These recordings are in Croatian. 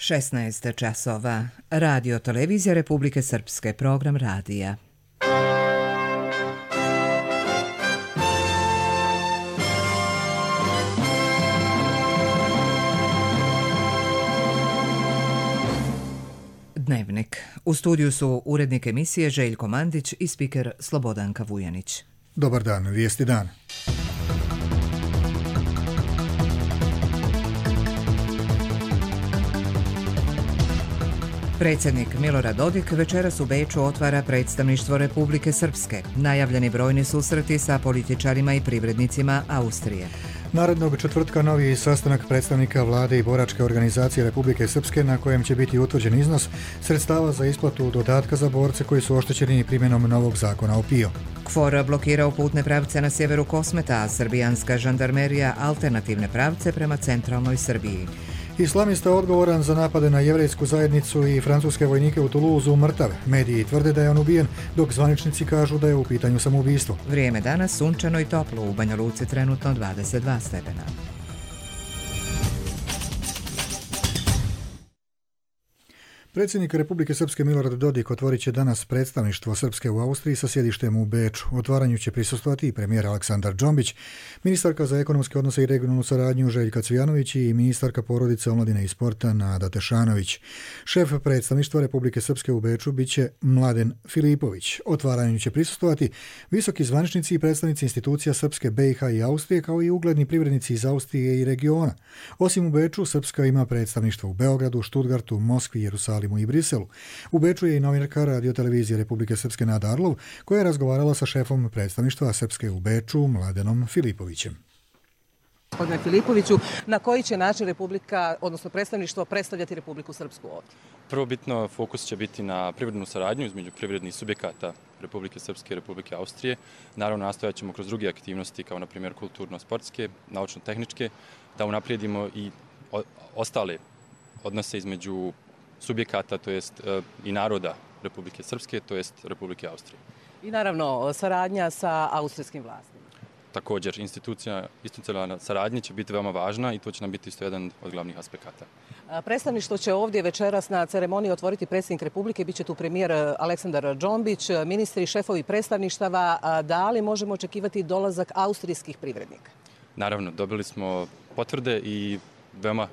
16 časova. Radio Televizija Republike Srpske, program radija. Dnevnik. U studiju su urednik emisije Željko Mandić i spiker Slobodanka Vujanić. Dobar dan, vijesti dan. Predsjednik Milorad Dodik večeras u Beču otvara predstavništvo Republike Srpske. Najavljeni brojni susreti sa političarima i privrednicima Austrije. Narednog četvrtka novi sastanak predstavnika vlade i boračke organizacije Republike Srpske na kojem će biti utvrđen iznos sredstava za isplatu dodatka za borce koji su oštećeni primjenom novog zakona o PIO. KFOR blokirao putne pravce na sjeveru Kosmeta, a srbijanska žandarmerija alternativne pravce prema centralnoj Srbiji. Islamista odgovoran za napade na jevrejsku zajednicu i francuske vojnike u Toulouseu mrtav. Mediji tvrde da je on ubijen, dok zvaničnici kažu da je u pitanju samoubistvo. Vrijeme danas sunčano i toplo, u Banja Luci trenutno 22 stepena. Predsjednik Republike Srpske Milorad Dodik otvorit će danas predstavništvo Srpske u Austriji sa sjedištem u Beču. Otvaranju će prisustvovati i premijer Aleksandar Džombić, ministarka za ekonomske odnose i regionalnu saradnju Željka Cvijanović i ministarka porodice, omladine i sporta Nada Tešanović. Šef predstavništva Republike Srpske u Beču biće Mladen Filipović. Otvaranju će prisustvovati visoki zvaničnici i predstavnici institucija Srpske, BiH i Austrije, kao i ugledni privrednici iz Austrije i regiona. Osim u Beču, Srpska ima predstavništvo u Beogradu, Štutgartu, Moskvi, Jerusalimu i Briselu. U Beču je i novinarka Radio Televizije Republike Srpske Nada Arlov, koja je razgovarala sa šefom predstavništva Srpske u Beču, Mladenom Filipovićem. Gospodine Filipoviću, na koji će način Republika, odnosno predstavništvo, predstavljati Republiku Srpsku ovdje? Prvobitno fokus će biti na privrednu saradnju između privrednih subjekata Republike Srpske i Republike Austrije. Naravno, nastojat ćemo kroz druge aktivnosti, kao na primjer kulturno-sportske, naučno-tehničke, da unaprijedimo i ostale odnose između subjekata, to jest i naroda Republike Srpske, to jest Republike Austrije. I naravno, saradnja sa austrijskim vlastima. Također, institucionalna saradnja će biti veoma važna i to će nam biti isto jedan od glavnih aspekata. Predstavništvo će ovdje večeras na ceremoniji otvoriti predsjednik Republike, bit će tu premijer Aleksandar Džombić, ministri i šefovi predstavništava. Da li možemo očekivati dolazak austrijskih privrednika? Naravno, dobili smo potvrde i veoma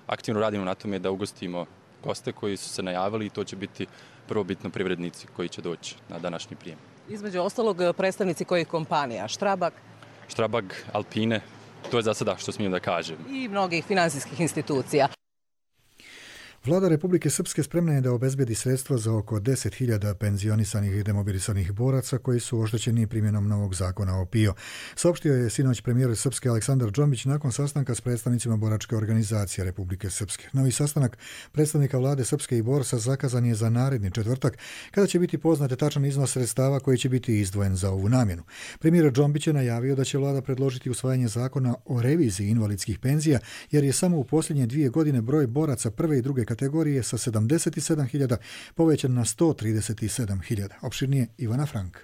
aktivno radimo na tome da ugostimo goste koji su se najavili i to će biti prvobitno privrednici koji će doći na današnji prijem. Između ostalog predstavnici kojih kompanija? Strabag, Alpine, to je za sada što smijem da kažem. I mnogih financijskih institucija. Vlada Republike Srpske spremna je da obezbedi sredstva za oko 10.000 penzionisanih i demobilisanih boraca koji su oštećeni primjenom novog zakona o PIO. Saopštio je sinoć premijer Srpske Aleksandar Džombić nakon sastanka s predstavnicima boračke organizacije Republike Srpske. Novi sastanak predstavnika vlade Srpske i borca zakazan je za naredni četvrtak, kada će biti poznat tačan iznos sredstava koji će biti izdvojen za ovu namjenu. Premijer Džombić je najavio da će vlada predložiti usvajanje zakona o reviziji invalidskih penzija, jer je samo u posljednje 2 godine broj boraca prve i druge kategorije sa 77.000 povećan na 137.000. Opširnije Ivana Frank.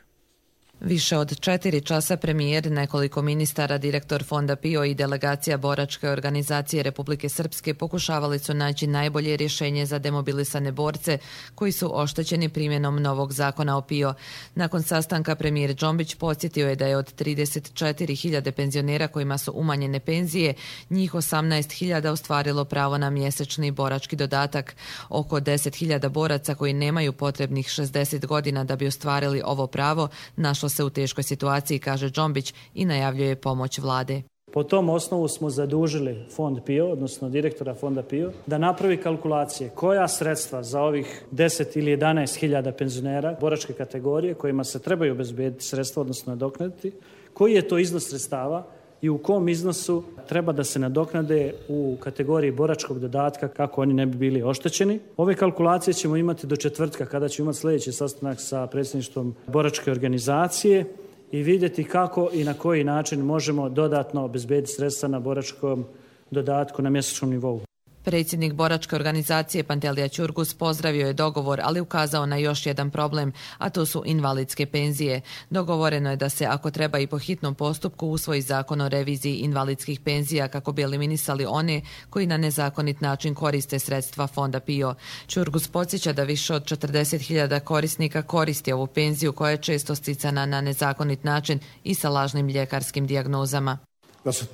Više od 4 časa premijer, nekoliko ministara, direktor fonda PIO i delegacija boračke organizacije Republike Srpske pokušavali su naći najbolje rješenje za demobilisane borce koji su oštećeni primjenom novog zakona o PIO. Nakon sastanka premijer Džombić podsjetio je da je od 34.000 penzionera kojima su umanjene penzije, njih 18.000 ostvarilo pravo na mjesečni borački dodatak. Oko 10.000 boraca koji nemaju potrebnih 60 godina da bi ostvarili ovo pravo našlo se u teškoj situaciji, kaže Džombić, i najavljuje pomoć vlade. Po tom osnovu smo zadužili fond PIO, odnosno direktora fonda PIO, da napravi kalkulacije koja sredstva za ovih 10 ili 11.000 penzionera boračke kategorije kojima se trebaju obezbediti sredstva, odnosno nadoknaditi, koji je to iznos sredstava i u kom iznosu treba da se nadoknade u kategoriji boračkog dodatka kako oni ne bi bili oštećeni. Ove kalkulacije ćemo imati do četvrtka kada ćemo imati sljedeći sastanak sa predsjedništvom boračke organizacije i vidjeti kako i na koji način možemo dodatno obezbediti sredstva na boračkom dodatku na mjesečnom nivou. Predsjednik boračke organizacije Pantelija Ćurgus pozdravio je dogovor, ali ukazao na još jedan problem, a to su invalidske penzije. Dogovoreno je da se, ako treba i po hitnom postupku, usvoji zakon o reviziji invalidskih penzija kako bi eliminisali one koji na nezakonit način koriste sredstva Fonda PIO. Ćurgus podsjeća da više od 40.000 korisnika koristi ovu penziju koja je često sticana na nezakonit način i sa lažnim ljekarskim dijagnozama. Da se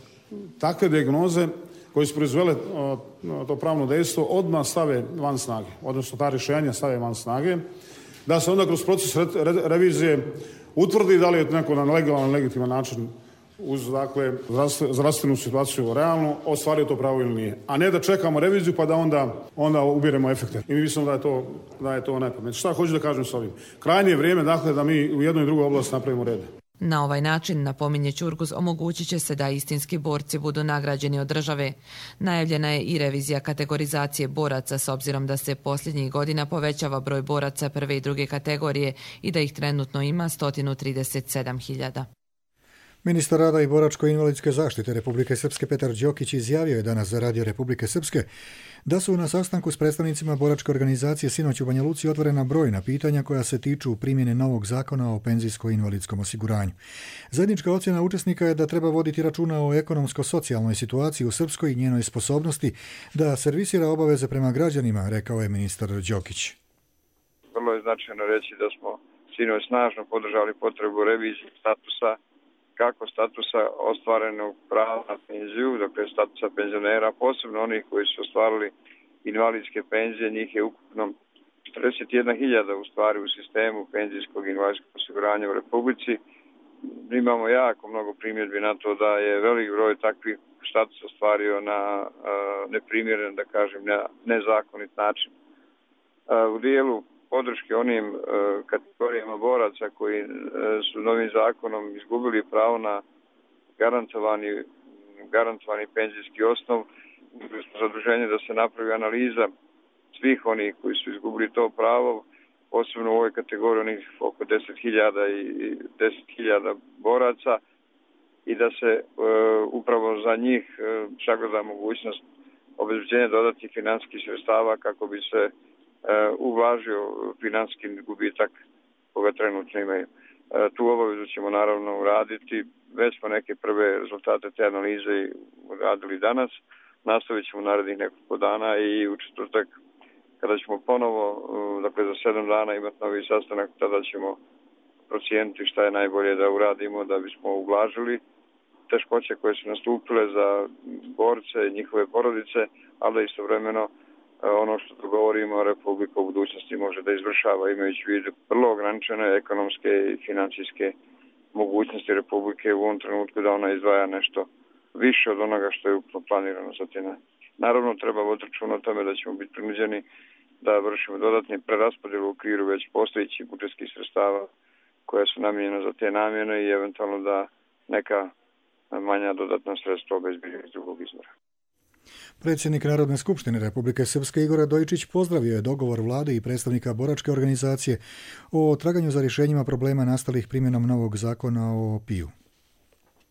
takve dijagnoze koji su proizvele to pravno dejstvo odmah stave van snage, odnosno ta rješenja stave van snage, da se onda kroz proces revizije utvrdi da li je neko na legalan, legitiman način uz dakle zdravstvenu situaciju realno ostvario to pravo ili nije. A ne da čekamo reviziju pa da onda ubiremo efekte. I mi mislimo da je to najpametnije. Šta hoću da kažem s ovim? Krajnje je vrijeme dakle da mi u jednoj i drugoj oblasti napravimo red. Na ovaj način, napominje Ćurgus, omogućit će se da istinski borci budu nagrađeni od države. Najavljena je i revizija kategorizacije boraca s obzirom da se posljednjih godina povećava broj boraca prve i druge kategorije i da ih trenutno ima 137.000. Ministar rada i boračko-invalidske zaštite Republike Srpske Petar Đokić izjavio je danas za Radio Republike Srpske da su na sastanku s predstavnicima boračke organizacije sinoć u Banja Luci otvorena brojna pitanja koja se tiču primjene novog zakona o penzijsko-invalidskom osiguranju. Zajednička ocjena učesnika je da treba voditi računa o ekonomsko-socijalnoj situaciji u Srpskoj i njenoj sposobnosti da servisira obaveze prema građanima, rekao je ministar Đokić. Vrlo je značajno reći da smo sinoć snažno podržali potrebu revizije statusa, kako statusa ostvarenog prava na penziju, dakle statusa penzionera, posebno onih koji su ostvarili invalidske penzije, njih je ukupno 41.000 u stvari u sistemu penzijskog i invalidskog osiguranja u Republici. Imamo jako mnogo primjedbi na to da je velik broj takvih status ostvario na neprimjeren, da kažem, nezakonit način. U dijelu podrške onim kategorijama boraca koji su novim zakonom izgubili pravo na garantovani penzijski osnov, zaduženje da se napravi analiza svih onih koji su izgubili to pravo, posebno u ovoj kategoriji onih oko 10.000 boraca i da se upravo za njih sagleda mogućnost obezbeđenja dodatnih financijskih sredstava kako bi se ublažio financijski gubitak koga trenutno imaju. Tu obavezu ćemo naravno uraditi. Već smo neke prve rezultate te analize uradili danas. Nastavit ćemo narednih nekoliko dana i u četvrtak kada ćemo ponovo, dakle za 7 dana imati novi sastanak, tada ćemo procijeniti šta je najbolje da uradimo da bismo ublažili teškoće koje su nastupile za borce i njihove porodice, ali da istovremeno ono što dogovorimo Republika u budućnosti može da izvršava imajući u vidu vrlo ograničene ekonomske i financijske mogućnosti Republike u ovom trenutku da ona izdvaja nešto više od onoga što je planirano za te. Naravno treba voditi računa o tome da ćemo biti prinuđeni da vršimo dodatne preraspodjele u okviru već postojećih budžetskih sredstava koja su namijenjena za te namjene i eventualno da neka manja dodatna sredstva obezbedimo iz drugog izvora. Predsjednik Narodne skupštine Republike Srpske Igor Radojičić pozdravio je dogovor vlade i predstavnika boračke organizacije o traganju za rješenjima problema nastalih primjenom novog zakona o PIO.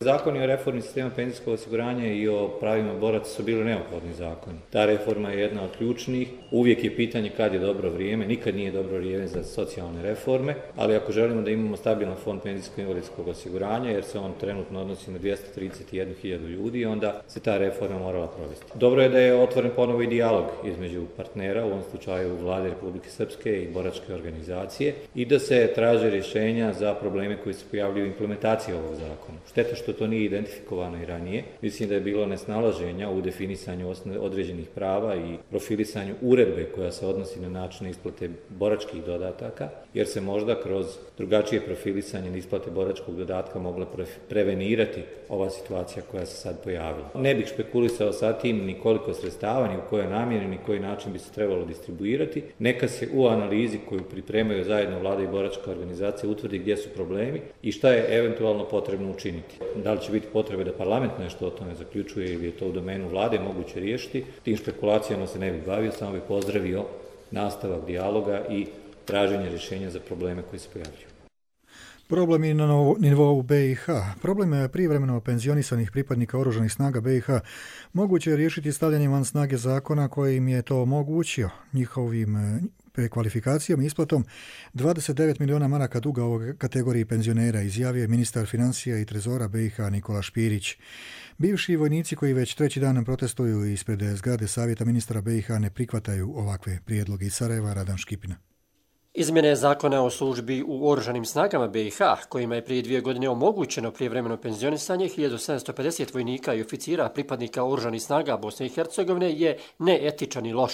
Zakoni o reformi sistema penzijskog osiguranja i o pravima boraca su bili neophodni zakoni. Ta reforma je jedna od ključnih. Uvijek je pitanje kad je dobro vrijeme, nikad nije dobro vrijeme za socijalne reforme, ali ako želimo da imamo stabilan fond penzijskog invalidskog osiguranja, jer se on trenutno odnosi na 231.000 ljudi, onda se ta reforma morala provesti. Dobro je da je otvoren ponovo i dijalog između partnera, u ovom slučaju Vlade Republike Srpske i boračke organizacije, i da se traže rješenja za probleme koji se pojavljuju u implementaciji ovog zakona. Šteta što to nije identifikovano i ranije. Mislim da je bilo nesnalaženja u definisanju određenih prava i profilisanju uredbe koja se odnosi na način isplate boračkih dodataka, jer se možda kroz drugačije profilisanje isplate boračkog dodatka mogla prevenirati ova situacija koja se sad pojavila. Ne bih špekulisao sa tim ni koliko sredstava, ni u kojoj namjeni, ni koji način bi se trebalo distribuirati. Neka se u analizi koju pripremaju zajedno Vlada i boračka organizacija utvrdi gdje su problemi i šta je eventualno potrebno učiniti. Da li će biti potrebe da parlament nešto o tome zaključuje ili je to u domenu vlade moguće riješiti, tim špekulacijama se ne bih bavio, samo bih pozdravio nastavak dijaloga i traženje rješenja za probleme koji se pojavljuju. Problem je na nivou BiH. Problem privremeno penzionisanih pripadnika oružanih snaga BiH moguće je riješiti stavljanjem van snage zakona koji im je to omogućio njihovim prekvalifikacijom i isplatom 29 miliona maraka duga ovoj kategoriji penzionera, izjavio je ministar financija i trezora BiH Nikola Špirić. Bivši vojnici koji već treći dan protestuju ispred zgrade Savjeta ministara BiH ne prihvataju ovakve prijedloge. Iz Sarajeva, Radan Škipina. Izmjene zakona o službi u oružanim snagama BiH, kojima je prije 2 godine omogućeno prijevremeno penzionisanje 1750 vojnika i oficira pripadnika oružanih snaga Bosne i Hercegovine, je neetičan i loš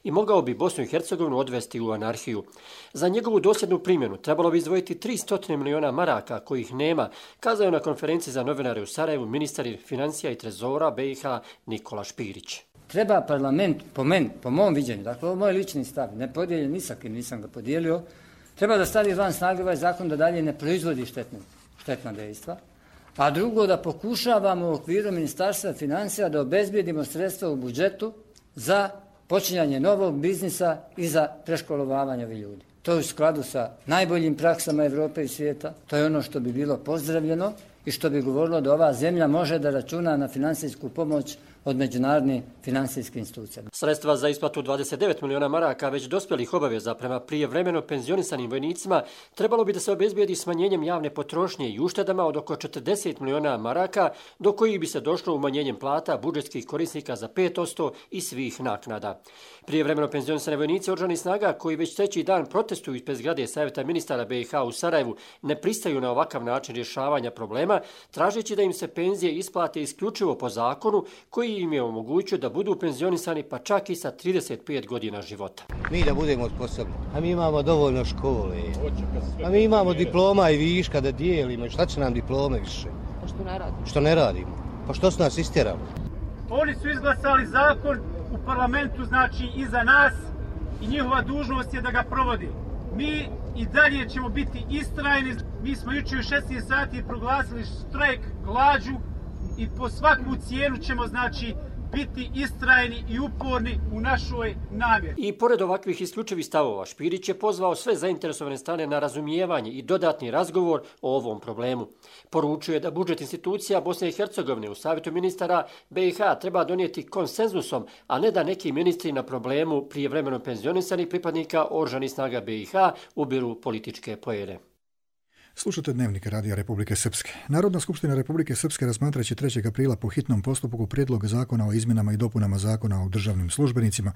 i mogao bi Bosnu i Hercegovinu odvesti u anarhiju. Za njegovu dosljednu primjenu trebalo bi izdvojiti 300 miliona maraka kojih nema, kazao je na konferenciji za novinare u Sarajevu ministar financija i trezora BiH Nikola Špirić. Treba parlament, po mom viđenju, dakle ovo je moj lični stav, ne podijeljen ni sa kim, nisam ga podijelio, treba da stavi van snage ovaj zakon da dalje ne proizvodi štetna dejstva, a drugo da pokušavamo u okviru Ministarstva financija da obezbijedimo sredstva u budžetu za počinjanje novog biznisa i za preškolovavanje ovih ljudi. To je u skladu sa najboljim praksama Evrope i svijeta, to je ono što bi bilo pozdravljeno i što bi govorilo da ova zemlja može da računa na finansijsku pomoć od međunarodnih financijskih institucija. Sredstva za isplatu 29 miliona maraka već dospjelih obaveza prema prijevremeno penzionisanim vojnicima trebalo bi da se obezbijedi smanjenjem javne potrošnje i uštedama od oko 40 miliona maraka, do kojih bi se došlo umanjenjem plata budžetskih korisnika za 5% i svih naknada. Prijevremeno penzionisane vojnici oružanih snaga koji već treći dan protestuju ispred zgrade Savjeta ministara BiH u Sarajevu ne pristaju na ovakav način rješavanja problema, tražeći da im se penzije isplate isključivo po zakonu koji im je omogućio da budu penzionisani pa čak i sa 35 godina života. Mi da budemo sposobni, a mi imamo dovoljno škole, a mi imamo diploma i viška da dijelimo, šta će nam diplome više? Pa što ne radimo? Što ne radimo? Pa što su nas istjerali? Oni su izglasali zakon u parlamentu, znači iza nas, i njihova dužnost je da ga provodi. Mi i dalje ćemo biti istrajni. Mi smo jučer u 16 sati proglasili štrajk glađu i po svaku cijenu ćemo, znači, biti istrajni i uporni u našoj namjeri. I pored ovakvih isključivih stavova, Špirić je pozvao sve zainteresovane strane na razumijevanje i dodatni razgovor o ovom problemu. Poručuje da budžet institucija Bosne i Hercegovine u Savjetu ministara BiH treba donijeti konsenzusom, a ne da neki ministri na problemu prijevremeno penzionisanih pripadnika oružanih snaga BiH ubiru političke poene. Slušate Dnevnik Radija Republike Srpske. Narodna skupština Republike Srpske razmatraće 3. aprila po hitnom postupku prijedlog zakona o izmjenama i dopunama zakona o državnim službenicima.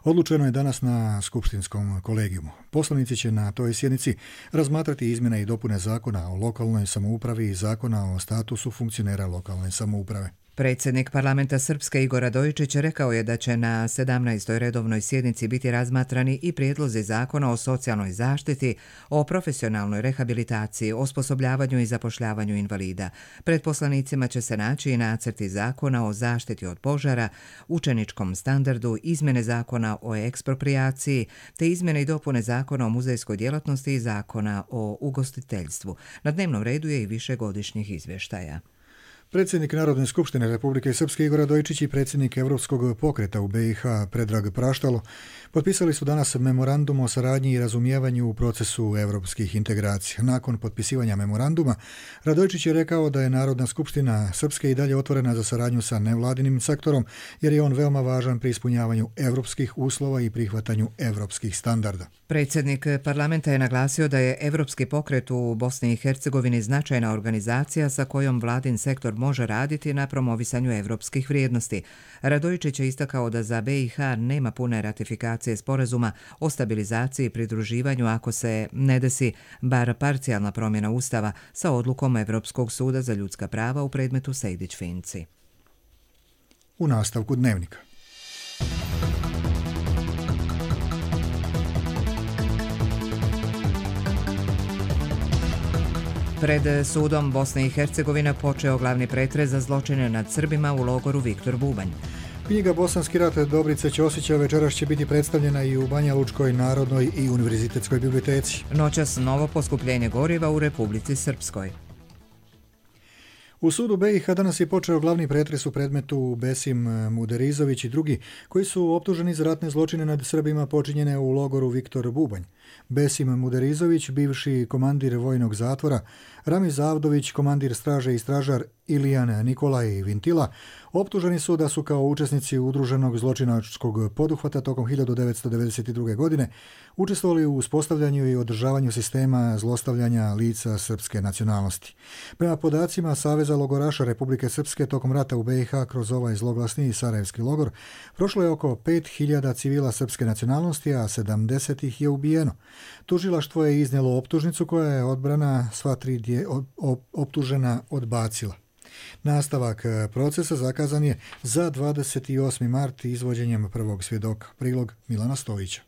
Odlučeno je danas na skupštinskom kolegijumu. Poslanici će na toj sjednici razmatrati izmjene i dopune zakona o lokalnoj samoupravi i zakona o statusu funkcionera lokalne samouprave. Predsjednik parlamenta Srpske Igor Radojičić rekao je da će na 17. redovnoj sjednici biti razmatrani i prijedlozi zakona o socijalnoj zaštiti, o profesionalnoj rehabilitaciji, osposobljavanju i zapošljavanju invalida. Pred poslanicima će se naći i nacrti zakona o zaštiti od požara, učeničkom standardu, izmjene zakona o eksproprijaciji, te izmjene i dopune zakona o muzejskoj djelatnosti i zakona o ugostiteljstvu. Na dnevnom redu je i višegodišnjih izvještaja. Predsjednik Narodne skupštine Republike Srpske Igor Radojičić i predsjednik Europskog pokreta u BiH Predrag Praštalo potpisali su danas memorandum o saradnji i razumijevanju u procesu europskih integracija. Nakon potpisivanja memoranduma, Radojičić je rekao da je Narodna skupština Srpske i dalje otvorena za saradnju sa nevladinim sektorom, jer je on veoma važan pri ispunjavanju europskih uslova i prihvatanju europskih standarda. Predsjednik parlamenta je naglasio da je Europski pokret u Bosni i Hercegovini značajna organizacija sa kojom vladin sektor može raditi na promovisanju europskih vrijednosti. Radojičić je istakao da za BiH nema pune ratifikacije sporazuma o stabilizaciji i pridruživanju ako se ne desi bar parcijalna promjena Ustava sa odlukom Europskog suda za ljudska prava u predmetu Sejdić-Finci. U nastavku Dnevnika. Pred sudom Bosne i Hercegovine počeo glavni pretres za zločine nad Srbima u logoru Viktor Bubanj. Knjiga Bosanski rat Dobrice Ćosića večeras će biti predstavljena i u Banja Lučkoj narodnoj i univerzitetskoj biblioteci. Noćas novo poskupljenje goriva u Republici Srpskoj. U sudu BiH danas je počeo glavni pretres u predmetu Besim Muderizović i drugi, koji su optuženi za ratne zločine nad Srbima počinjene u logoru Viktor Bubanj. Besim Muderizović, bivši komandir vojnog zatvora, Ramiz Avdović, komandir straže i stražar Ilijan Nikolaj Vintila, optuženi su da su kao učesnici udruženog zločinačkog poduhvata tokom 1992. godine učestvovali u uspostavljanju i održavanju sistema zlostavljanja lica srpske nacionalnosti. Prema podacima Saveza logoraša Republike Srpske tokom rata u BiH kroz ovaj zloglasni Sarajevski logor prošlo je oko 5000 civila srpske nacionalnosti, a 70 ih je ubijeno. Tužilaštvo je iznijelo optužnicu koja je odbrana sva tri optužena odbacila. Nastavak procesa zakazan je za 28. mart izvođenjem prvog svjedoka. Prilog Milana Stojića.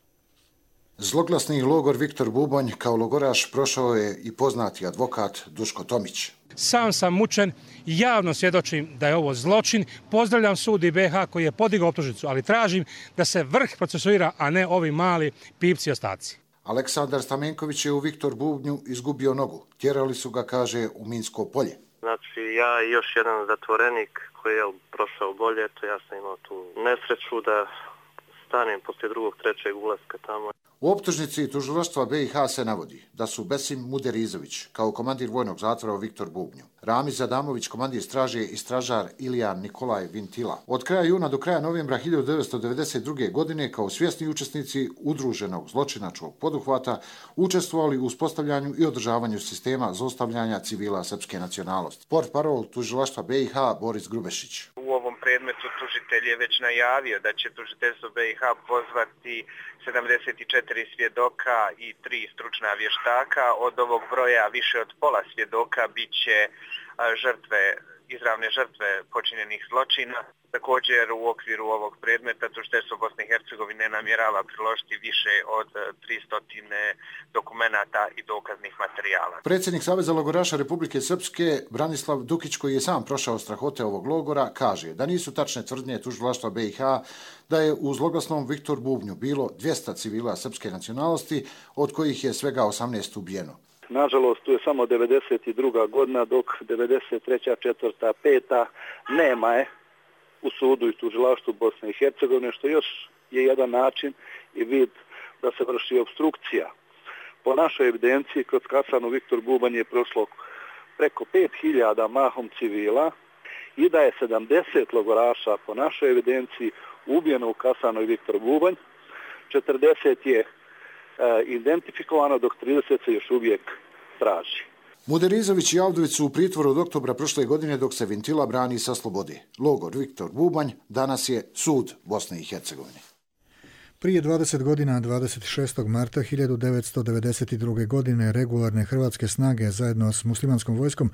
Zloglasni logor Viktor Bubanj kao logoraš prošao je i poznati advokat Duško Tomić. Sam sam mučen, javno svjedočim da je ovo zločin. Pozdravljam sud BiH koji je podigao optužnicu, ali tražim da se vrh procesuira, a ne ovi mali pipci ostaci. Aleksandar Stamenković je u Viktor Bubnju izgubio nogu. Tjerali su ga, kaže, u Minsko polje. Znači, ja i još jedan zatvorenik koji je prošao bolje, ja sam imao tu nesreću da stanem poslije drugog, trećeg ulaska tamo. U optužnici tužilaštva BiH se navodi da su Besim Muderizović kao komandir vojnog zatvora u Viktor Bubnju, Ramiz Adamović, komandir straže i stražar Ilijan Nikolaj Vintila, od kraja juna do kraja novembra 1992. godine kao svjesni učesnici udruženog zločinačkog poduhvata učestvovali u uspostavljanju i održavanju sistema zlostavljanja civila srpske nacionalnosti. Portparol tužilaštva BiH Boris Grubešić. U ovom predmetu tužitelj je već najavio da će tužiteljstvo BiH pozvati 74 svjedoka i 3 stručna vještaka. Od ovog broja više od pola svjedoka bit će izravne žrtve počinjenih zločina. Također u okviru ovog predmeta tužiteljstvo Bosne i Hercegovine namjerava priložiti više od 300 dokumenata i dokaznih materijala. Predsjednik Saveza logoraša Republike Srpske Branislav Dukić, koji je sam prošao strahote ovog logora, kaže da nisu tačne tvrdnje tužilaštva BiH da je u zloglasnom Viktor Bubnju bilo 200 civila srpske nacionalnosti, od kojih je svega 18 ubijeno. Nažalost, tu je samo 92. godina, dok 93., 4., 5. nema je u sudu i tužilaštvu Bosne i Hercegovine, što još je jedan način i vid da se vrši opstrukcija. Po našoj evidenciji, kroz kasarnu Viktor Bubanj je prošlo preko 5000 mahom civila i da je 70 logoraša po našoj evidenciji ubijeno u kasarnoj Viktor Bubanj, 40 je identifikovano, dok 30 se još uvijek traži. Muderizović i Avdović su u pritvoru od oktobra prošle godine, dok se Vintila brani sa slobode. Logor Viktor Bubanj danas je sud Bosne i Hercegovine. Prije 20 godina, 26. marta 1992. godine, regularne hrvatske snage zajedno s muslimanskom vojskom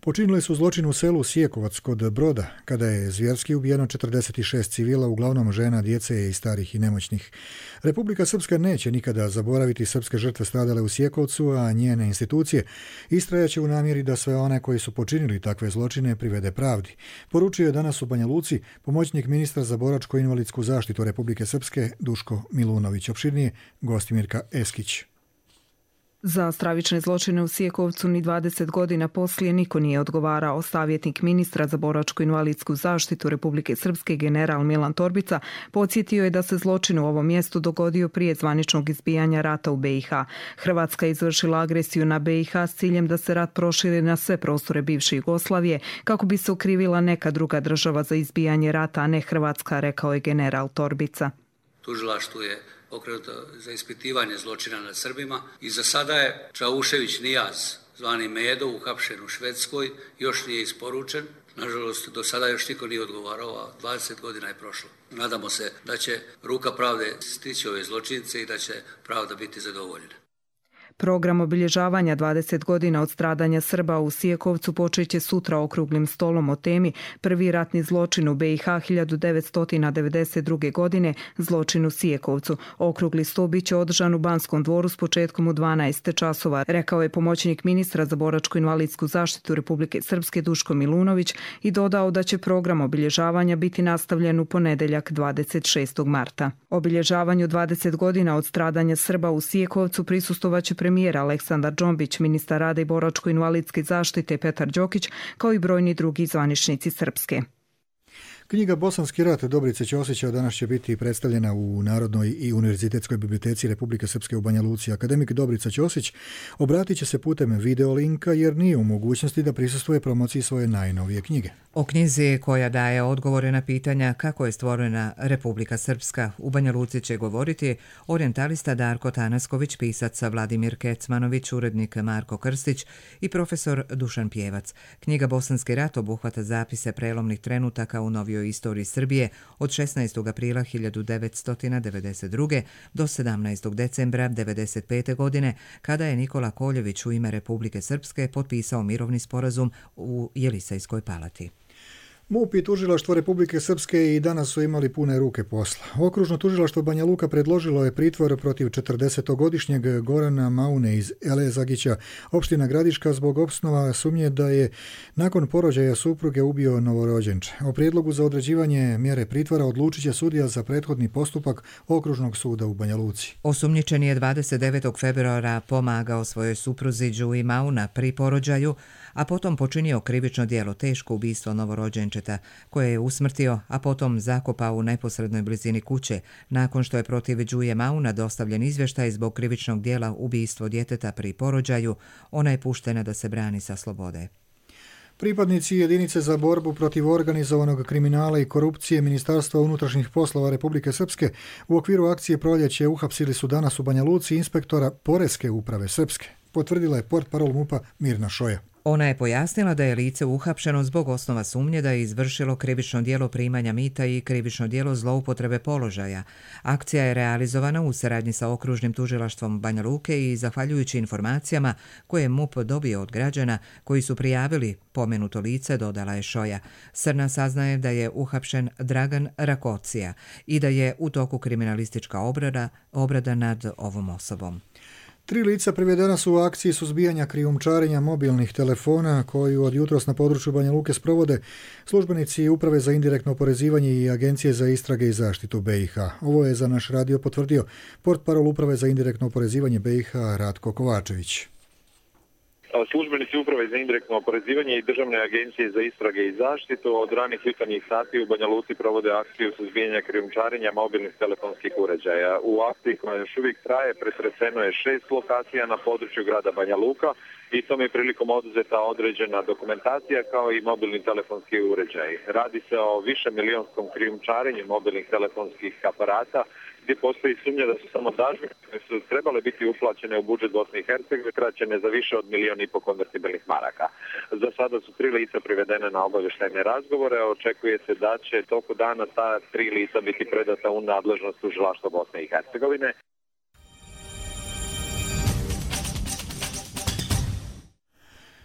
počinile su zločin u selu Sjekovac kod Broda, kada je zvjerski ubijeno 46 civila, uglavnom žena, djece i starih i nemoćnih. Republika Srpska neće nikada zaboraviti srpske žrtve stradale u Sjekovcu, a njene institucije istrajaće u namjeri da sve one koji su počinili takve zločine privede pravdi. Poručio je danas u Banja Luci pomoćnik ministra za boračko-invalidsku zaštitu Republike Srpske Duško Milunović. Opširnije Gostimirka Eskić. Za stravične zločine u Sjekovcu ni 20 godina poslije niko nije odgovarao. Savjetnik ministra za boračko-invalidsku zaštitu Republike Srpske general Milan Torbica podsjetio je da se zločin u ovom mjestu dogodio prije zvaničnog izbijanja rata u BiH. Hrvatska je izvršila agresiju na BiH s ciljem da se rat proširi na sve prostore bivše Jugoslavije kako bi se okrivila neka druga država za izbijanje rata, a ne Hrvatska, rekao je general Torbica. Tužilaštvo je pokrenuto za ispitivanje zločina nad Srbima i za sada je Čaušević Nijaz, zvani Medo, uhapšen u Švedskoj, još nije isporučen. Nažalost, do sada još niko nije odgovarao, a 20 godina je prošlo. Nadamo se da će ruka pravde stići ove zločince i da će pravda biti zadovoljena. Program obilježavanja 20 godina od stradanja Srba u Sjekovcu počeće sutra okruglim stolom o temi Prvi ratni zločin u BiH 1992. godine, zločin u Sjekovcu. Okrugli sto biće održan u Banskom dvoru s početkom u 12 časova, rekao je pomoćnik ministra za boračko-invalidsku zaštitu Republike Srpske Duško Milunović i dodao da će program obilježavanja biti nastavljen u ponedjeljak 26. marta. Obilježavanju 20 godina od stradanja Srba u Sjekovcu prisustvovaće premijer Aleksandar Džombić, ministar rada i boračko-invalidske zaštite Petar Đokić, kao i brojni drugi zvaničnici Srpske. Knjiga Bosanski rat Dobrice Ćosića danas će biti predstavljena u Narodnoj i univerzitetskoj biblioteci Republike Srpske u Banja Luci. Akademik Dobrica Ćosić obratit će se putem videolinka jer nije u mogućnosti da prisustvuje promociji svoje najnovije knjige. O knjizi koja daje odgovore na pitanja kako je stvorena Republika Srpska u Banja Luci će govoriti orijentalista Darko Tanasković, pisac Vladimir Kecmanović, urednik Marko Krstić i profesor Dušan Pjevac. Knjiga Bosanski rat obuhvata zapise prelomnih trenutaka u novijoj istoriji Srbije od 16. aprila 1992. do 17. decembra 1995. godine, kada je Nikola Koljević u ime Republike Srpske potpisao mirovni sporazum u Jelisejskoj palati. MUP i tužilaštvo Republike Srpske i danas su imali pune ruke posla. Okružno tužilaštvo Banja Luka predložilo je pritvor protiv 40-godišnjeg Gorana Maune iz Elezagića, opština Gradiška, zbog osnova sumnje da je nakon porođaja supruge ubio novorođenče. O prijedlogu za određivanje mjere pritvora odlučit će sudija za prethodni postupak Okružnog suda u Banja Luci. Osumnjičen je 29. februara pomagao svojoj supruzi Đuji Mauna pri porođaju, a potom počinio krivično djelo teško ubistvo novorođenčeta, koje je usmrtio, a potom zakopao u neposrednoj blizini kuće, nakon što je protiv Đuje Mauna dostavljen izvještaj zbog krivičnog djela ubistvo djeteta pri porođaju. Ona je puštena da se brani sa slobode. Pripadnici jedinice za borbu protiv organizovanog kriminala i korupcije Ministarstva unutrašnjih poslova Republike Srpske u okviru akcije Proljeće uhapsili su danas u Banja Luci inspektora Poreske uprave Srpske, potvrdila je portparol MUP-a Mirna Šoja. Ona je pojasnila da je lice uhapšeno zbog osnova sumnje da je izvršilo krivično djelo primanja mita i krivično djelo zloupotrebe položaja. Akcija je realizovana u saradnji sa Okružnim tužilaštvom Banja Luke i zahvaljujući informacijama koje je MUP dobio od građana koji su prijavili pomenuto lice, dodala je Šoja. Srna saznaje da je uhapšen Dragan Rakocija i da je u toku kriminalistička obrada nad ovom osobom. 3 lica privedena su u akciji suzbijanja krijumčarenja mobilnih telefona koju od jutros na području Banja Luke sprovode službenici Uprave za indirektno oporezivanje i Agencije za istrage i zaštitu BiH. Ovo je za naš radio potvrdio portparol Uprave za indirektno oporezivanje BiH Ratko Kovačević. Službenici Uprave za indirektno oporezivanje i Državne agencije za istrage i zaštitu od ranih jutarnjih sati u Banja Luci provode akciju suzbijanja krijumčarenja mobilnih telefonskih uređaja. U akciji koja još uvijek traje pretreseno je 6 lokacija na području grada Banja Luka i tom je prilikom oduzeta određena dokumentacija kao i mobilni telefonski uređaj. Radi se o višemilijonskom krijumčarenju mobilnih telefonskih aparata gdje postoji sumnja da su samo dažbine koje su trebale biti uplaćene u budžet Bosne i Hercegovine kraćene za više od 1,5 milijuna konvertibilnih maraka. Za sada su 3 lica privedene na obavještajne razgovore. Očekuje se da će toku dana ta 3 lica biti predata u nadležnost tužilaštva Bosne i Hercegovine.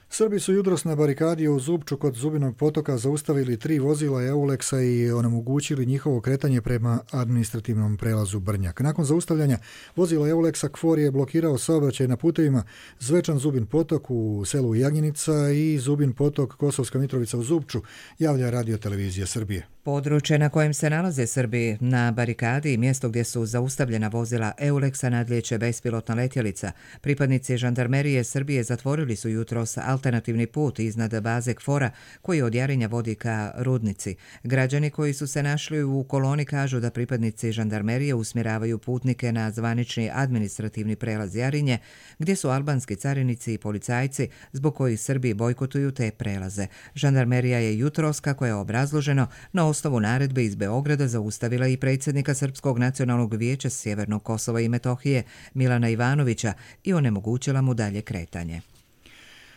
Srbi su jutros na barikadi u Zubču kod Zubinog potoka zaustavili 3 vozila Euleksa i onemogućili njihovo kretanje prema administrativnom prelazu Brnjak. Nakon zaustavljanja vozila Euleksa KFOR je blokirao saobraćaj na putevima Zvečan Zubin potok u selu Jagnjenica i Zubin potok Kosovska Mitrovica u Zubču, javlja Radio Televizija Srbije. Područje na kojem se nalaze Srbi na barikadi i mjesto gdje su zaustavljena vozila Euleksa nadlijeće bespilotna letjelica. Pripadnici žandarmerije Srbije zatvorili su jutros alternativni put iznad baze KFOR-a koji od Jarinja vodi ka Rudnici. Građani koji su se našli u koloni kažu da pripadnici žandarmerije usmjeravaju putnike na zvanični administrativni prelaz Jarinje, gdje su albanski carinici i policajci zbog kojih Srbi bojkotuju te prelaze. Žandarmerija je jutros, kako je obrazloženo, na osnovu naredbe iz Beograda zaustavila i predsjednika Srpskog nacionalnog vijeća Sjevernog Kosova i Metohije Milana Ivanovića i onemogućila mu dalje kretanje.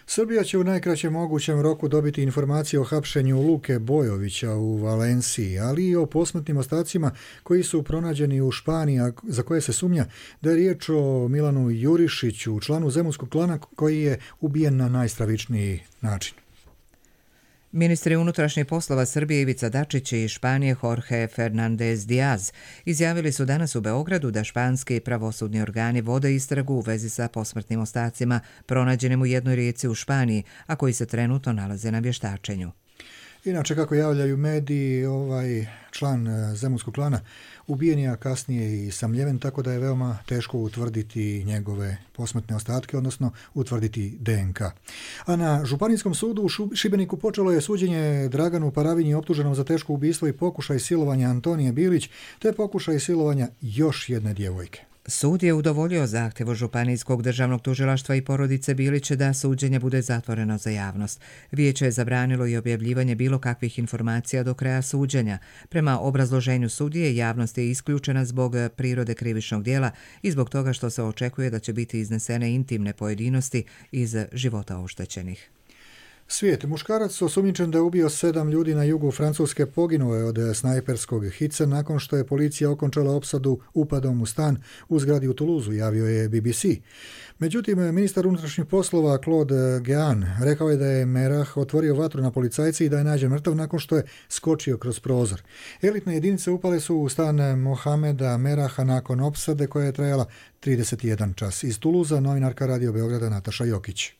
Srbija će u najkraćem mogućem roku dobiti informacije o hapšenju Luke Bojovića u Valenciji, ali i o posmrtnim ostacima koji su pronađeni u Španiji, za koje se sumnja da je riječ o Milanu Jurišiću, članu zemunskog klana koji je ubijen na najstravičniji način. Ministri unutrašnjih poslova Srbije Ivica Dačić i Španije Jorge Fernandez Diaz izjavili su danas u Beogradu da španski pravosudni organi vode istragu u vezi sa posmrtnim ostacima pronađenim u jednoj rijeci u Španiji, a koji se trenutno nalaze na vještačenju. Inače, kako javljaju mediji, ovaj član zemunskog klana ubijen je, a kasnije i samljeven, tako da je veoma teško utvrditi njegove posmrtne ostatke, odnosno utvrditi DNK. A na Županijskom sudu u Šibeniku počelo je suđenje Draganu Paravinji optuženom za teško ubistvo i pokušaj silovanja Antonije Bilić, te pokušaj silovanja još jedne djevojke. Sud je udovoljio zahtjevu Županijskog državnog tužilaštva i porodice Bilić da suđenje bude zatvoreno za javnost. Vijeće je zabranilo i objavljivanje bilo kakvih informacija do kraja suđenja. Prema obrazloženju sudije, javnost je isključena zbog prirode krivičnog djela i zbog toga što se očekuje da će biti iznesene intimne pojedinosti iz života oštećenih. Svijet. Muškarac osumnjičen da je ubio 7 ljudi na jugu Francuske poginuo je od snajperskog hica nakon što je policija okončala opsadu upadom u stan u zgradi u Toulouseu, javio je BBC. Međutim, ministar unutrašnjih poslova Claude Guéant rekao je da je Merah otvorio vatru na policajci i da je nađen mrtav nakon što je skočio kroz prozor. Elitne jedinice upale su u stan Mohameda Meraha nakon opsade koja je trajala 31 čas. Iz Toulousea novinarka Radio Beograda Nataša Jokić.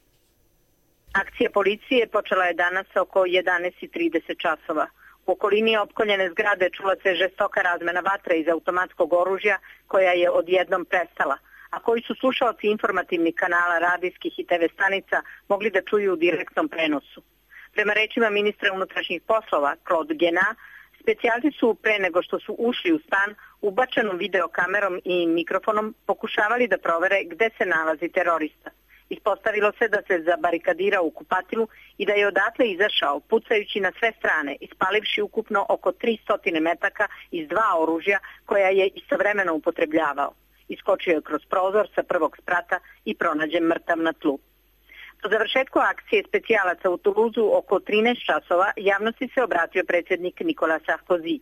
Akcija policije počela je danas oko 11:30 časova. U okolini opkoljene zgrade čula se žestoka razmena vatre iz automatskog oružja koja je odjednom prestala, a koji su slušaoci informativnih kanala, radijskih i TV stanica mogli da čuju u direktnom prenosu. Prema rečima ministra unutrašnjih poslova Claude Guéant, specijalci su pre nego što su ušli u stan ubačenom videokamerom i mikrofonom pokušavali da provere gde se nalazi terorista. Ispostavilo se da se zabarikadirao u kupatilu i da je odatle izašao pucajući na sve strane, ispalivši ukupno oko 300 metaka iz 2 oružja koja je istovremeno upotrebljavao. Iskočio je kroz prozor sa prvog sprata i pronađen mrtav na tlu. Po završetku akcije specijalaca u Toulouseu oko 13 časova javnosti se obratio predsjednik Nicolas Sarkozy.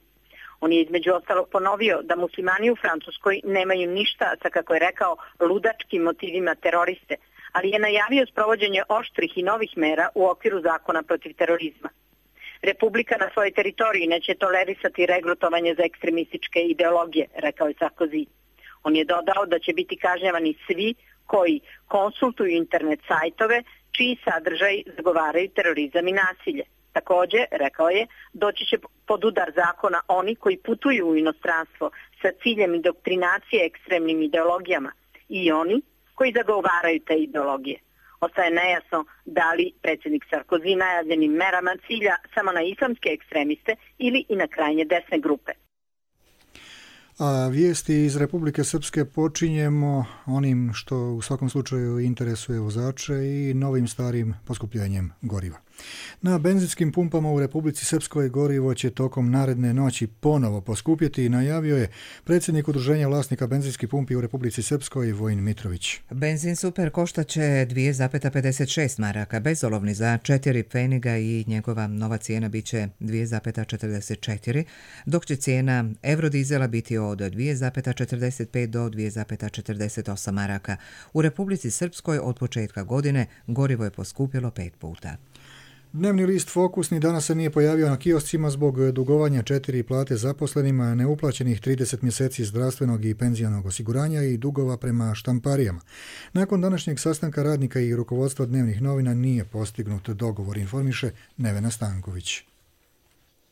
On je između ostalog ponovio da muslimani u Francuskoj nemaju ništa sa, kako je rekao, ludačkim motivima teroriste, ali je najavio sprovođenje oštrih i novih mera u okviru zakona protiv terorizma. Republika na svojoj teritoriji neće tolerisati regrutovanje za ekstremističke ideologije, rekao je Sarkozy. On je dodao da će biti kažnjavani svi koji konsultuju internet sajtove čiji sadržaj zagovaraju terorizam i nasilje. Također, rekao je, doći će pod udar zakona oni koji putuju u inostranstvo sa ciljem indoktrinacije ekstremnim ideologijama i oni koji zagovaraju te ideologije. Ostaje nejasno da li predsjednik Sarkozy najavljenim merama cilja samo na islamske ekstremiste ili i na krajnje desne grupe. A vijesti iz Republike Srpske počinjemo onim što u svakom slučaju interesuje vozače i novim starim poskupljenjem goriva. Na benzinskim pumpama u Republici Srpskoj gorivo će tokom naredne noći ponovo poskupjeti, najavio je predsjednik udruženja vlasnika benzinskih pumpi u Republici Srpskoj Vojin Mitrović. Benzin super koštaće 2,56 maraka, bezolovni za 4 pfeniga i njegova nova cijena bit će 2,44, dok će cijena eurodizela biti od 2,45 do 2,48 maraka. U Republici Srpskoj od početka godine gorivo je poskupilo 5 puta. Dnevni list Fokus ni danas se nije pojavio na kioscima zbog dugovanja 4 plate zaposlenima, neuplaćenih 30 mjeseci zdravstvenog i penzionog osiguranja i dugova prema štamparijama. Nakon današnjeg sastanka radnika i rukovodstva dnevnih novina nije postignut dogovor, informiše Nevena Stanković.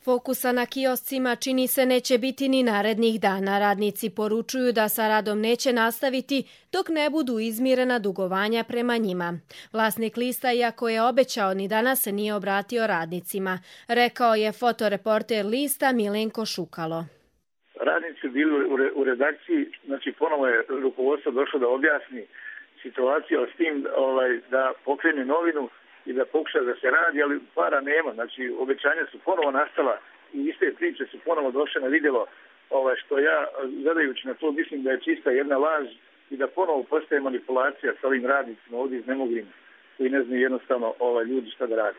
Fokusa na kioscima čini se neće biti ni narednih dana. Radnici poručuju da sa radom neće nastaviti dok ne budu izmirena dugovanja prema njima. Vlasnik lista, iako je obećao, ni danas se nije obratio radnicima, rekao je fotoreporter lista Milenko Šukalo. Radnici bili u redakciji, znači ponovo je rukovodstvo došlo da objasni situaciju s tim da pokrene novinu i da pokuša da se radi, ali para nema. Znači, obećanja su ponovo nastala i iste priče su ponovo došle na vidjelo, što ja, gledajući na to, mislim da je čista jedna laž i da ponovo postaje manipulacija sa ovim radnicima ovdje iznemoglim koji ne znaju jednostavno ljudi šta da radi.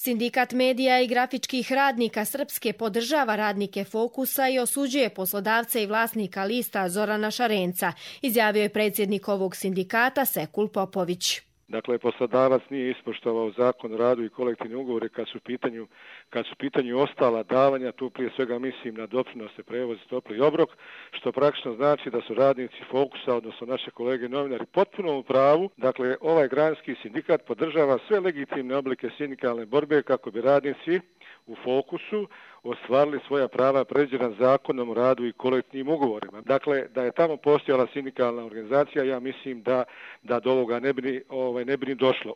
Sindikat medija i grafičkih radnika Srpske podržava radnike Fokusa i osuđuje poslodavca i vlasnika lista Zorana Šarenca, izjavio je predsjednik ovog sindikata Sekul Popović. Dakle, poslodavac nije ispoštovao zakon o radu i kolektivne ugovore kad su u pitanju kad su pitanju ostala davanja, tu prije svega mislim na doprinose, prevoz, topli obrok, što praktično znači da su radnici Fokusa, odnosno naše kolege novinari, potpuno u pravu. Dakle, ovaj granski sindikat podržava sve legitimne oblike sindikalne borbe kako bi radnici u Fokusu ostvarili svoja prava predviđena Zakonom o radu i kolektivnim ugovorima. Dakle, da je tamo postojala sindikalna organizacija, ja mislim da do ovoga ne bi ni došlo.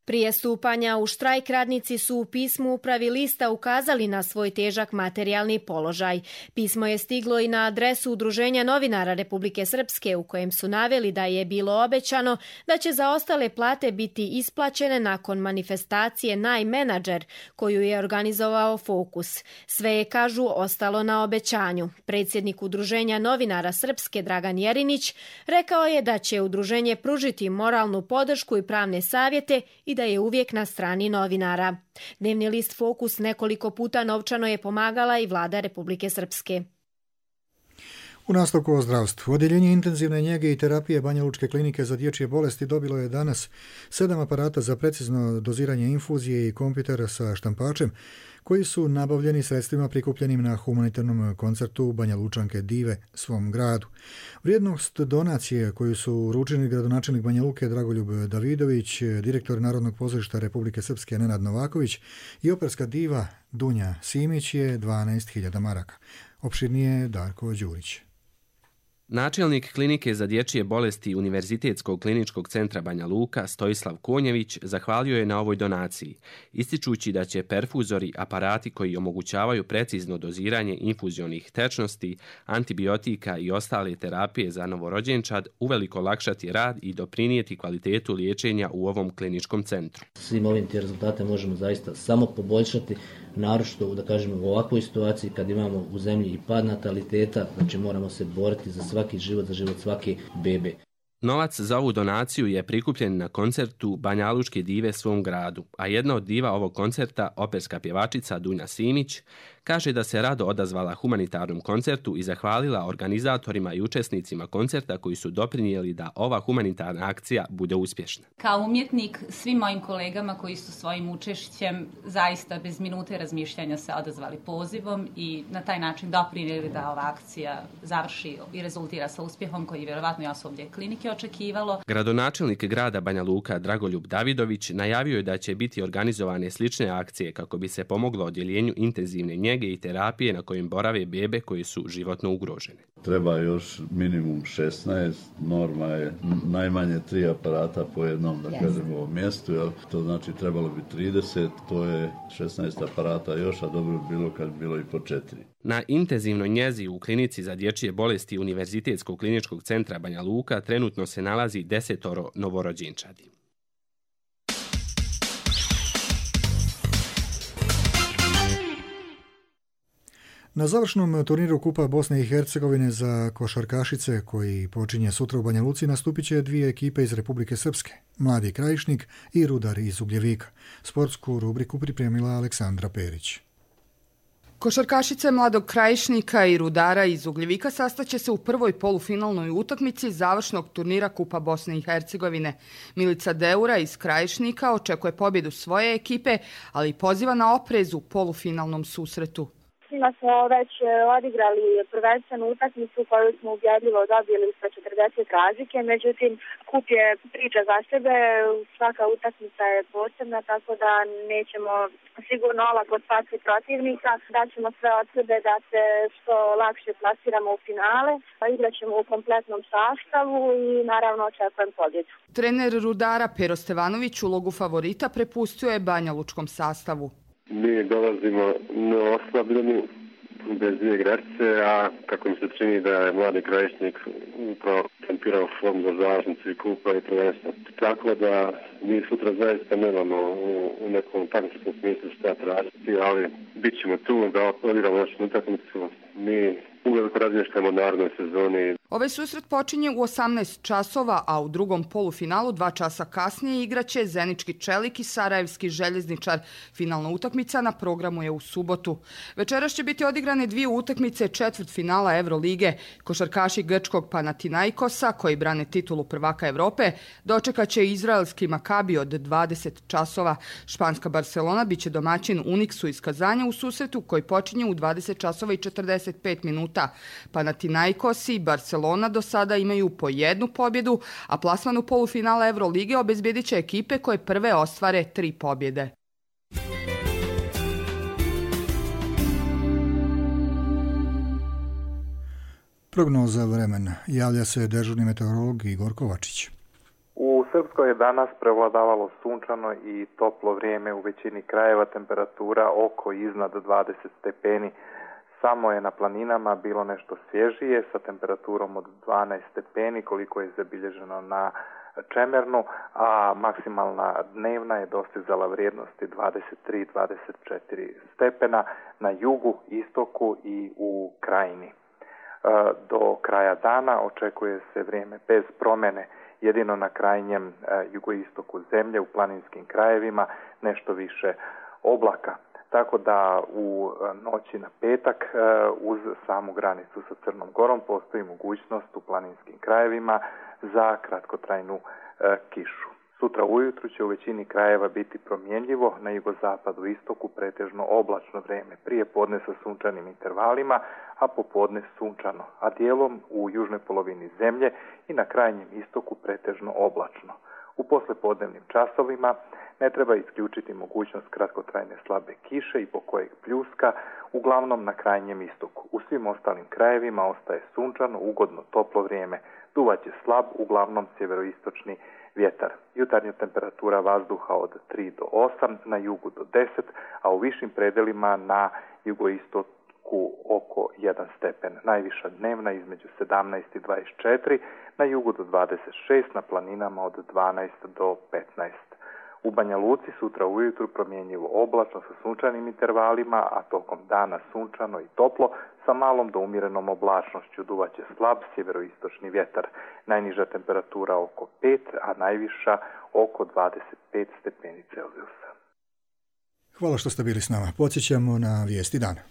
Prije stupanja u štrajk radnici su u pismu upravi lista ukazali na svoj težak materijalni položaj. Pismo je stiglo i na adresu Udruženja novinara Republike Srpske u kojem su naveli da je bilo obećano da će zaostale plate biti isplaćene nakon manifestacije Najmenadžer koju je organizovao Fokus. Sve je, kažu, ostalo na obećanju. Predsjednik Udruženja novinara Srpske Dragan Jerinić rekao je da će udruženje pružiti moralnu podršku i pravne savjete i da je uvijek na strani novinara. Dnevni list Fokus nekoliko puta novčano je pomagala i vlada Republike Srpske. U nastavku o zdravstvu. Odjeljenje intenzivne njege i terapije Banja Lučke klinike za dječje bolesti dobilo je danas 7 aparata za precizno doziranje infuzije i kompjuter sa štampačem, koji su nabavljeni sredstvima prikupljenim na humanitarnom koncertu Banja Lučanke dive svom gradu. Vrijednost donacije koju su uručili gradonačelnik Banja Luke Dragoljub Davidović, direktor Narodnog pozorišta Republike Srpske Nenad Novaković i operska diva Dunja Simić je 12.000 maraka. Opširnije Darko Đurić. Načelnik klinike za dječje bolesti Univerzitetskog kliničkog centra Banja Luka Stojislav Konjević zahvalio je na ovoj donaciji, ističući da će perfuzori, aparati koji omogućavaju precizno doziranje infuzionih tečnosti, antibiotika i ostale terapije za novorođenčad uveliko olakšati rad i doprinijeti kvalitetu liječenja u ovom kliničkom centru. Svim ovim te rezultate možemo zaista samo poboljšati, naročito da kažemo u ovakvoj situaciji kad imamo u zemlji i pad nataliteta, znači moramo se boriti za svaki život, za život svake bebe. Novac za ovu donaciju je prikupljen na koncertu Banja Lučke dive svom gradu, a jedna od diva ovog koncerta, operska pjevačica Dunja Simić, kaže da se rado odazvala humanitarnom koncertu i zahvalila organizatorima i učesnicima koncerta koji su doprinijeli da ova humanitarna akcija bude uspješna. Kao umjetnik, svim mojim kolegama koji su svojim učešćem zaista bez minute razmišljanja se odazvali pozivom i na taj način doprinijeli da ova akcija završi i rezultira sa uspjehom koji vjerovatno i osoblje klinike očekivalo. Gradonačelnik grada Banja Luka Dragoljub Davidović najavio je da će biti organizovane slične akcije kako bi se pomoglo odjeljenju intenzivne njege i terapije na kojim borave bebe koje su životno ugrožene. Treba još minimum 16, norma je najmanje 3 aparata po jednom, da kažemo, mjestu, jel? To znači trebalo bi 30, to je 16 aparata još, a dobro bi bilo kad bi bilo i po 4. Na intenzivnoj njezi u klinici za dječje bolesti Univerzitetskog kliničkog centra Banja Luka trenutno se nalazi 10 novorođenčadi. Na završnom turniru Kupa Bosne i Hercegovine za košarkašice, koji počinje sutra u Banja Luci, nastupit će 2 ekipe iz Republike Srpske, Mladi Krajišnik i Rudar iz Ugljevika. Sportsku rubriku pripremila Aleksandra Perić. Košarkašice Mladog Krajišnika i Rudara iz Ugljevika sastaće se u prvoj polufinalnoj utakmici završnog turnira Kupa Bosne i Hercegovine. Milica Deura iz Krajišnika očekuje pobjedu svoje ekipe, ali poziva na oprez u polufinalnom susretu. Svima smo već odigrali prvenstvenu utakmicu koju smo ubjedljivo dobili sa 40 razlike, međutim kup je priča za sebe, svaka utakmica je posebna, tako da nećemo sigurno olako spasti protivnika, daćemo sve od sebe da se što lakše plasiramo u finale, igraćemo u kompletnom sastavu i naravno očekujem pobjedu. Trener Rudara Pero Stevanović ulogu favorita prepustio je Banja Lučkom sastavu. Mi dolazimo na oslabljeni bez 2 igračice, a kako mi se čini da je Mladi Krajišnik upravo tempirao formu za završnicu i kupa i prvenstva. Tako da mi sutra zaista nemamo u nekom takmičnom smislu šta tražiti, ali bit ćemo tu da odigramo našu utakmicu. Mi uveliko razmišljamo o narednoj sezoni. Ovaj susret počinje u 18 časova, a u drugom polufinalu 2 časa kasnije igraće Zenički Čelik i Sarajevski Željezničar. Finalna utakmica na programu je u subotu. Večeras će biti odigrane 2 utakmice četvrtfinala Evrolige. Košarkaši grčkog Panathinaikosa, koji brane titulu prvaka Evrope, dočekaće izraelski Makabi od 20 časova. Španska Barcelona biće domaćin Uniksu iz Kazanja u susretu koji počinje u 20 časova i 45 minuta. Panathinaikos i Barcelona do sada imaju po 1 pobjedu, a plasman u polufinala Evrolige obezbjedit će ekipe koje prve ostvare 3 pobjede. Prognoza vremena. Javlja se dežurni meteorolog Igor Kovačić. U Srpskoj je danas prevladavalo sunčano i toplo vrijeme, u većini krajeva temperatura oko iznad 20 stepeni. Samo je na planinama bilo nešto svježije sa temperaturom od 12 stepeni koliko je zabilježeno na Čemernu, a maksimalna dnevna je dostizala vrijednosti 23-24 stepena na jugu, istoku i u krajini. Do kraja dana očekuje se vrijeme bez promjene, jedino na krajnjem jugoistoku zemlje u planinskim krajevima nešto više oblaka. Tako da u noći na petak uz samu granicu sa Crnom Gorom postoji mogućnost u planinskim krajevima za kratkotrajnu kišu. Sutra ujutru će u većini krajeva biti promjenjivo, na jugozapadu istoku pretežno oblačno vrijeme, prije podne sa sunčanim intervalima, a popodne sunčano, a dijelom u južnoj polovini zemlje i na krajnjem istoku pretežno oblačno. U poslepodnevnim časovima ne treba isključiti mogućnost kratkotrajne slabe kiše i pokojeg pljuska, uglavnom na krajnjem istoku. U svim ostalim krajevima ostaje sunčano, ugodno, toplo vrijeme. Duvaće slab, uglavnom sjeveroistočni vjetar. Jutarnja temperatura vazduha od 3 do 8, na jugu do 10, a u višim predelima na jugoistoku oko 1 stepen. Najviša dnevna između 17 i 24, na jugu do 26, na planinama od 12 do 15. U Banja Luci sutra ujutru promjenjivo oblačno sa sunčanim intervalima, a tokom dana sunčano i toplo sa malom do umjerenom oblačnošću. Duvaće slab sjeveroistočni vjetar. Najniža temperatura oko 5, a najviša oko 25 stepeni Celzijusa. Hvala što ste bili s nama. Podsjećamo na vijesti dana.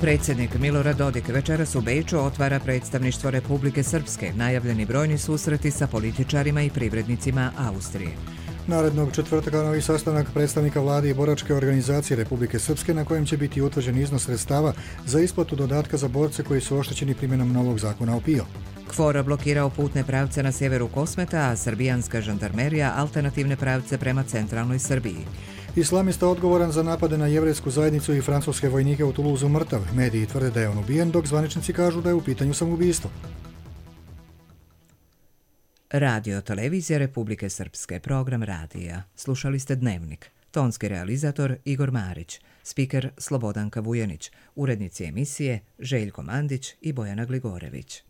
Predsjednik Milorad Dodik večeras u Beču otvara predstavništvo Republike Srpske, najavljeni brojni susreti sa političarima i privrednicima Austrije. Narednog četvrtka novi sastanak predstavnika vlade i boračke organizacije Republike Srpske na kojem će biti utvrđen iznos sredstava za isplatu dodatka za borce koji su oštećeni primjenom novog zakona o PIO. KFOR blokirao putne pravce na sjeveru Kosmeta, a srbijanska žandarmerija alternativne pravce prema centralnoj Srbiji. Islamista odgovoran za napade na jevrejsku zajednicu i francuske vojnike u Toulouseu mrtav. Mediji tvrde da je on ubijen, dok zvaničnici kažu da je u pitanju samoubistvo. Radio Televizija Republike Srpske, program radija. Slušali ste Dnevnik. Tonski realizator Igor Marić, spiker Slobodanka Vujanić, urednici emisije Željko Mandić i Bojana Gligorević.